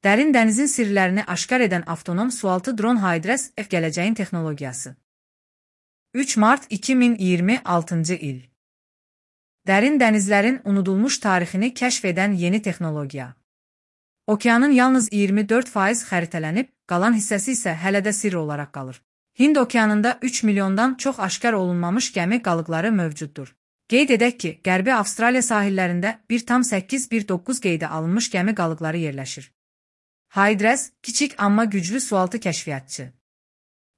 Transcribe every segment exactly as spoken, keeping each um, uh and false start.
Dərin dənizin sirlərini aşkar edən avtonom sualtı dron Hydres F gələcəyin texnologiyası. üç mart iki min iyirmi altıncı il. Dərin dənizlərin unudulmuş tarixini kəşf edən yeni texnologiya. Okeanın yalnız iyirmi dörd faiz xəritələnib, qalan hissəsi isə hələ də sirr olaraq qalır. Hind okeanında üç milyondan çox aşkar olunmamış gəmi qalıqları mövcuddur. Qeyd edək ki, Qərbi Avstraliya sahillərində bir tam səkkiz bir doqquz qeydə alınmış gəmi qalıqları yerləşir. Hydres, kiçik amma güclü sualtı kəşfiyyatçı.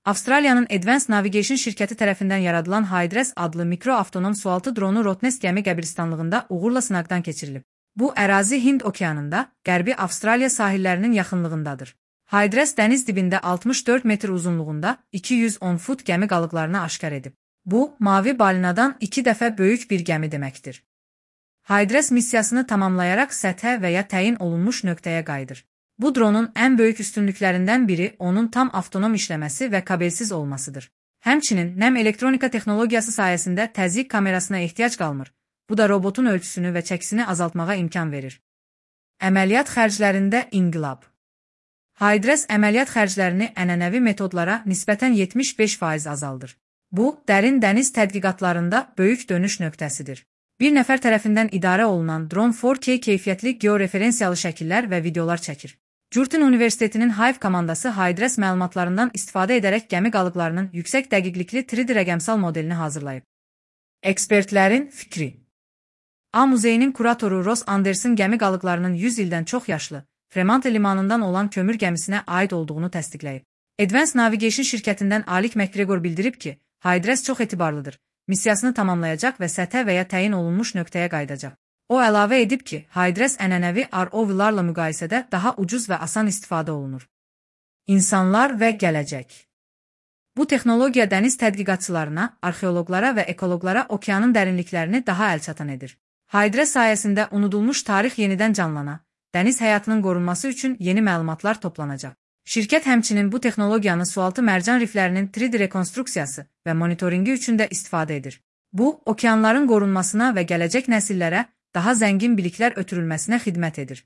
Avstraliyanın Advanced Navigation şirkəti tərəfindən yaradılan Hydres adlı mikroavtonom sualtı dronu Rottnest gəmi qəbiristanlığında uğurla sınaqdan keçirilib. Bu ərazi Hind okeanında, Qərbi Avstraliya sahillərinin yaxınlığındadır. Hydres dəniz dibində altmış dörd metr uzunluğunda iki yüz on fut gəmi qalıqlarını aşkar edib. Bu, mavi balinadan iki dəfə böyük bir gəmi deməkdir. Hydres missiyasını tamamlayaraq səthə və ya təyin olunmuş nöqtəyə qayıdır. Bu dronun ən böyük üstünlüklərindən biri onun tam avtonom işləməsi və kabelsiz olmasıdır. Həmçinin, nəm elektronika texnologiyası sayəsində təzyiq kamerasına ehtiyac qalmır. Bu da robotun ölçüsünü və çəkisini azaltmağa imkan verir. Əməliyyat xərclərində inqilab. Hydres əməliyyat xərclərini ənənəvi metodlara nisbətən yetmiş beş faiz azaldır. Bu, dərin dəniz tədqiqatlarında böyük dönüş nöqtəsidir. Bir nəfər tərəfindən idarə olunan dron dörd K keyfiyyətli georeferensiyalı şəkillər və videolar çəkir. Curtin Universitetinin Hive komandası Hydres məlumatlarından istifadə edərək gəmi qalıqlarının yüksək dəqiqlikli üç D rəqəmsal modelini hazırlayıb. Ekspertlərin fikri. A Muzeyinin kuratoru Ross Anderson gəmi qalıqlarının yüz ildən çox yaşlı, Fremantle limanından olan kömür gəmisinə aid olduğunu təsdiqləyib. Advanced Navigation şirkətindən Alik McGregor bildirib ki, Hydres çox etibarlıdır, missiyasını tamamlayacaq və səthə və ya təyin olunmuş nöqtəyə qayıdacaq. O əlavə edib ki, Hydres ənənəvi R O V-larla müqayisədə daha ucuz və asan istifadə olunur. İnsanlar və gələcək. Bu texnologiya dəniz tədqiqatçılarına, arxeoloqlara və ekoloqlara okeanın dərinliklərini daha əlçatan edir. Hydres sayəsində unudulmuş tarix yenidən canlana, dəniz həyatının qorunması üçün yeni məlumatlar toplanacaq. Şirkət həmçinin bu texnologiyanı sualtı mərcan riflərinin üç D rekonstruksiyası və monitoringi üçün də istifadə edir. Bu, okeanların qorunmasına və gələcək nəsillərə daha zəngin biliklər ötürülməsinə xidmət edir.